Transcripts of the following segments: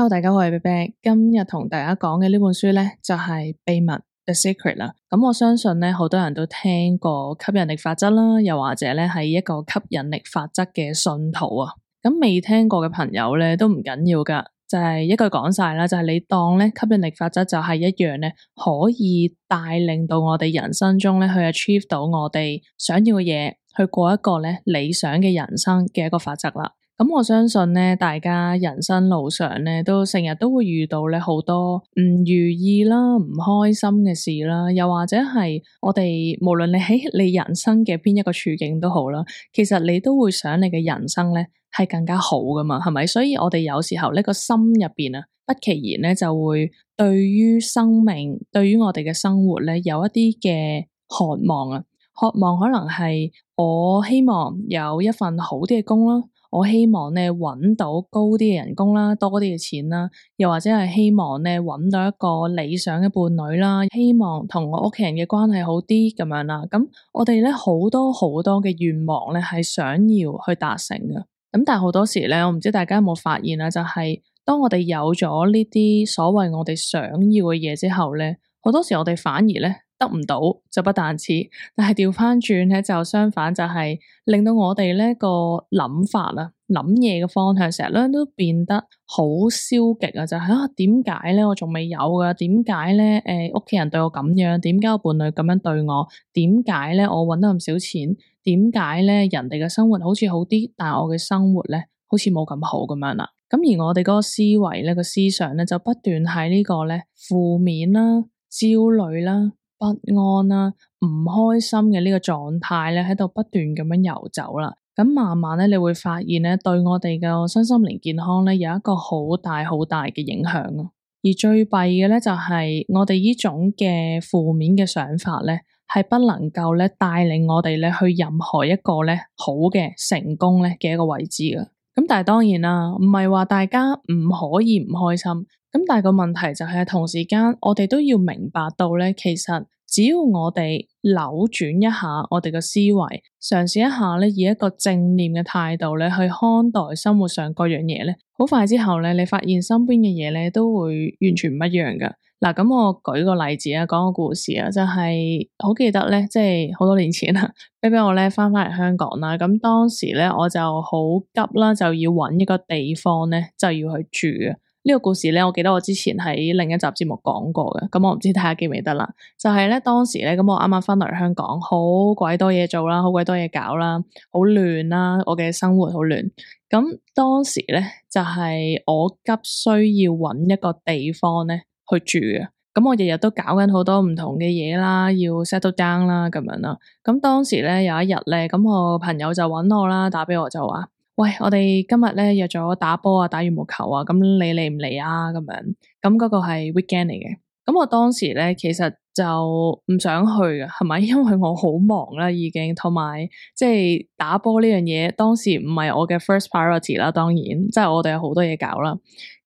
Hello，大家好，我係 Bebe， 今日同大家講嘅呢本書呢，就係秘密 The Secret 啦。咁我相信呢，好多人都聽過吸引力法則啦，又或者呢係一個吸引力法則嘅信徒啊。咁未聽過嘅朋友呢，都唔緊要噶，就係一句講晒啦，就係你當呢吸引力法則就係一樣呢，可以帶領到我哋人生中呢去 achieve 到我哋想要嘅嘢，去過一個呢理想嘅人生嘅一個法則啦。咁我相信呢，大家人生路上呢，都成日都會遇到呢好多唔如意啦、唔開心嘅事啦，又或者係我哋無論你喺你人生嘅邊一個處境都好啦，其實你都會想你嘅人生呢係更加好噶嘛，係咪？所以我哋有時候呢個心入邊啊，不其然呢就會對於生命、對於我哋嘅生活呢有一啲嘅渴望啊，渴望可能係我希望有一份好啲嘅工啦。我希望呢揾到高啲嘅人工啦，多啲嘅錢啦，又或者係希望呢揾到一個理想嘅伴侶啦，希望同我屋企人嘅關係好啲咁樣啦。咁我哋呢好多嘅願望呢係想要去達成嘅。咁但係好多時呢，我唔知大家有冇發現啦，就係當我哋有咗呢啲所謂我哋想要嘅嘢之後呢，好多時我哋反而呢得唔到就不但止，但係調翻轉咧就相反，就係令到我哋呢個諗法啊、諗嘢嘅方向成日咧都變得好消極啊！就係點解咧我仲未有噶？點解咧屋企人對我咁樣？點解我伴侶咁樣對我？點解咧我搵得咁少錢？點解咧人哋嘅生活好似好啲，但係我嘅生活咧好似冇咁好咁樣啦？咁而我哋嗰個思維咧、個思想咧就不斷喺呢個咧負面啦、焦慮啦、不安啦、唔開心嘅呢個狀態咧，喺度不斷咁樣游走啦。咁慢慢咧，你會發現咧，對我哋嘅身心靈健康咧，有一個好大嘅影響啊。而最弊嘅咧，就係我哋呢種嘅負面嘅想法咧，係不能夠咧帶領我哋咧去任何一個咧好嘅成功咧嘅一個位置嘅。咁但係當然啦，唔係話大家唔可以唔開心。咁但係個問題就係同時間，我哋都要明白到咧，其實只要我哋扭轉一下我哋嘅思維，嘗試一下咧，以一個正念嘅態度咧去看待生活上各樣嘢咧，好快之後咧，你發現身邊嘅嘢咧都會完全唔一樣噶。嗱，咁我舉個例子啊，講個故事啊，就係好記得咧，即係好多年前啊，俾我咧翻嚟香港啦。咁當時咧我就好急啦，就要揾一個地方咧就要去住啊。呢個故事咧，我記得我之前喺另一集節目講過嘅，咁我唔知大家記唔記得啦。就係咧當時咧，咁我啱啱翻嚟香港，好鬼多嘢做啦，好鬼多嘢搞啦，好亂啦，我嘅生活好亂。咁當時咧就係我急需要揾一個地方咧去住嘅。咁我日日都搞緊好多唔同嘅嘢啦，要 settle down 啦咁樣啦。咁當時咧有一日咧，咁我朋友就揾我啦，打俾我就話：喂，我哋今日咧約咗打波啊，打羽毛球啊，咁你嚟唔嚟啊？咁樣，咁嗰個係 weekend 嚟嘅。咁我當時咧其實就唔想去嘅，係咪？因為我好忙啦，已經，同埋即係打波呢樣嘢，當時唔係我嘅 first priority 啦。當然，即係我哋有好多嘢搞啦。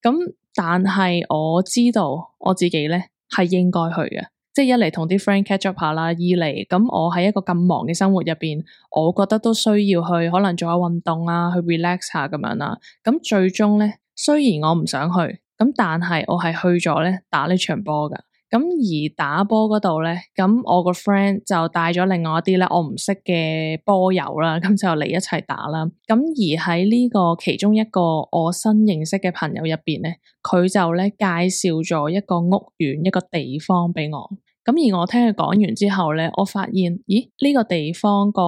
咁但係我知道我自己咧係應該去嘅。即係一嚟同啲 friend catch up 下啦，二嚟咁我喺一個咁忙嘅生活入邊，我覺得都需要去可能做下運動啊，去 relax 下咁樣啦。咁最終咧，雖然我唔想去，咁但係我係去咗咧打呢場波噶。咁而打波嗰度咧，咁我個 friend 就帶咗另外一啲咧我唔識嘅波友啦，咁就嚟一齊打啦。咁而喺呢個其中一個我新認識嘅朋友入邊咧，佢就咧介紹咗一個屋苑一個地方俾我。咁而我聽佢講完之後咧，我發現，咦，呢個地方個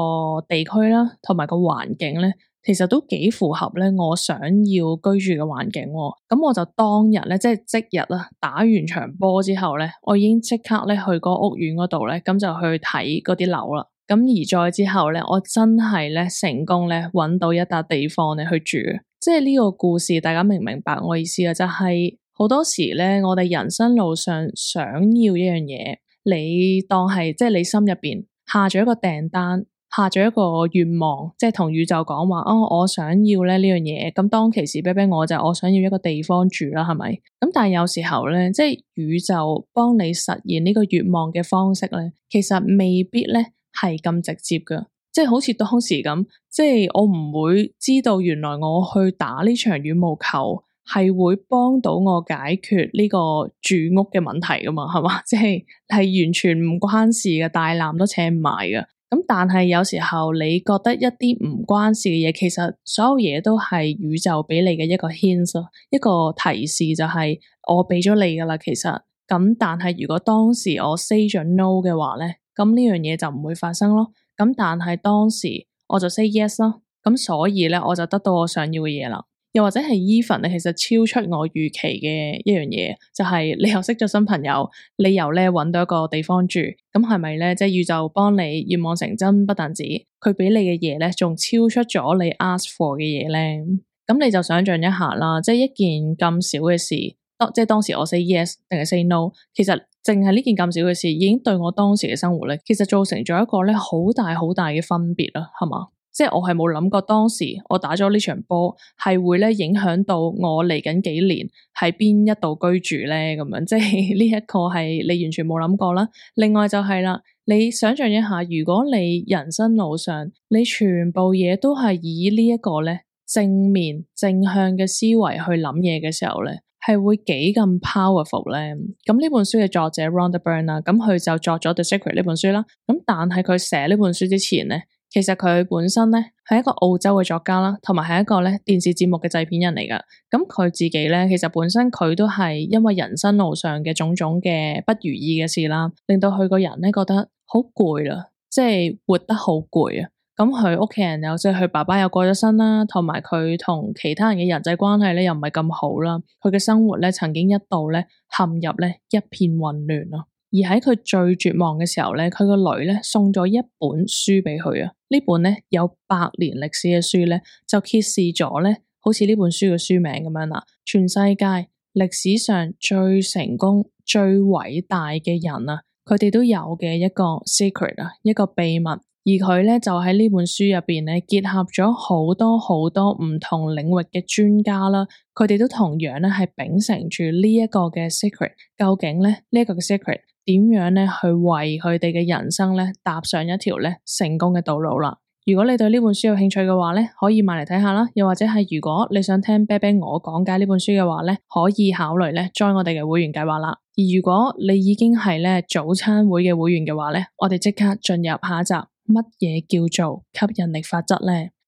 地區啦，同埋個環境咧，其實都幾符合咧我想要居住嘅環境。咁我就當日咧，即係即日啦，打完場波之後咧，我已經即刻咧去個屋苑嗰度咧，咁就去睇嗰啲樓啦。咁而再之後咧，我真係咧成功咧搵到一笪地方咧去住。即係呢個故事，大家明唔明白我意思啊？就係好多時咧，我哋人生路上想要一樣嘢，你當係即係你心入邊下咗一個訂單，下咗一個願望，即係同宇宙講話，我想要咧呢樣嘢。咁當其時，我就我想要一個地方住啦，係咪？咁但係有時候咧，即係宇宙幫你實現呢個願望嘅方式咧，其實未必咧係咁直接噶。即係好似當時咁，即係我唔會知道原來我去打呢場羽毛球係會幫到我解決呢個住屋嘅問題噶嘛，係嘛？即係完全唔關事嘅，大纜都扯唔埋嘅。咁但係有時候你覺得一啲唔關事嘅嘢，其實所有嘢都係宇宙俾你嘅一個 hint，一個提示，就係我俾咗你噶啦。其實咁，但係如果當時我 say 咗 no 嘅話咧，咁呢樣嘢就唔會發生咯。咁但係當時我就 say yes 咯，咁所以咧我就得到我想要嘅嘢啦。又或者係 even 你其實超出我預期嘅一樣嘢，就係你又識咗新朋友，你又咧搵到一個地方住，咁係咪咧即係宇宙幫你願望成真？不但止，佢俾你嘅嘢咧，仲超出咗你 ask for 嘅嘢咧。咁你就想象一下啦，即係一件咁少嘅事，即係當時我 say yes 定係 say no，其實淨係呢件咁少嘅事，已經對我當時嘅生活咧，其實造成咗一個咧好大好大嘅分別啦，係嘛？即係我係冇諗過當時我打咗呢場波係會咧影響到我嚟緊幾年喺邊一度居住咧，咁樣即係呢一個係你完全冇諗過啦。另外就係啦，你想象一下，如果你人生路上你全部嘢都係以呢一個咧正面正向嘅思維去諗嘢嘅時候咧，係會幾咁 powerful 咧？咁呢本書嘅作者 Rhonda Byrne 啦，咁佢就作咗 The Secret 呢本書啦。咁但係佢寫呢本書之前咧，其實佢本身咧係一個澳洲嘅作家啦，同埋係一個咧電視節目嘅製片人嚟噶。咁佢自己咧，其實本身佢都係因為人生路上嘅種種嘅不如意嘅事啦，令到佢個人咧覺得好攰啦，即係活得好攰啊。咁佢屋企人又即係佢爸爸又過咗身啦，同埋佢同其他人嘅人際關係咧又唔係咁好啦。佢嘅生活咧曾經一度咧陷入咧一片混亂咯。而喺佢最絕望嘅時候咧，佢個女咧送咗一本書俾佢啊。呢本咧有100年歷史嘅書咧，就揭示咗咧，好似呢本書嘅書名咁樣啦，全世界歷史上最成功、最偉大嘅人啊，佢哋都有嘅一個 secret 啊，一個秘密。而佢咧就喺呢本書入邊咧結合咗好多好多唔同領域嘅專家啦，佢哋都同樣咧係秉承住呢一個嘅 secret。究竟咧呢一個嘅 secret 點樣咧去為佢哋嘅人生咧踏上一條咧成功嘅道路啦？如果你對呢本書有興趣嘅話咧，可以買嚟睇下啦。又或者係如果你想聽啤啤我講解呢本書嘅話咧，可以考慮咧 join 我哋嘅會員計劃啦。而如果你已經係咧早餐會嘅會員嘅話咧，我哋即刻進入下一集。乜嘢叫做吸引力法則呢？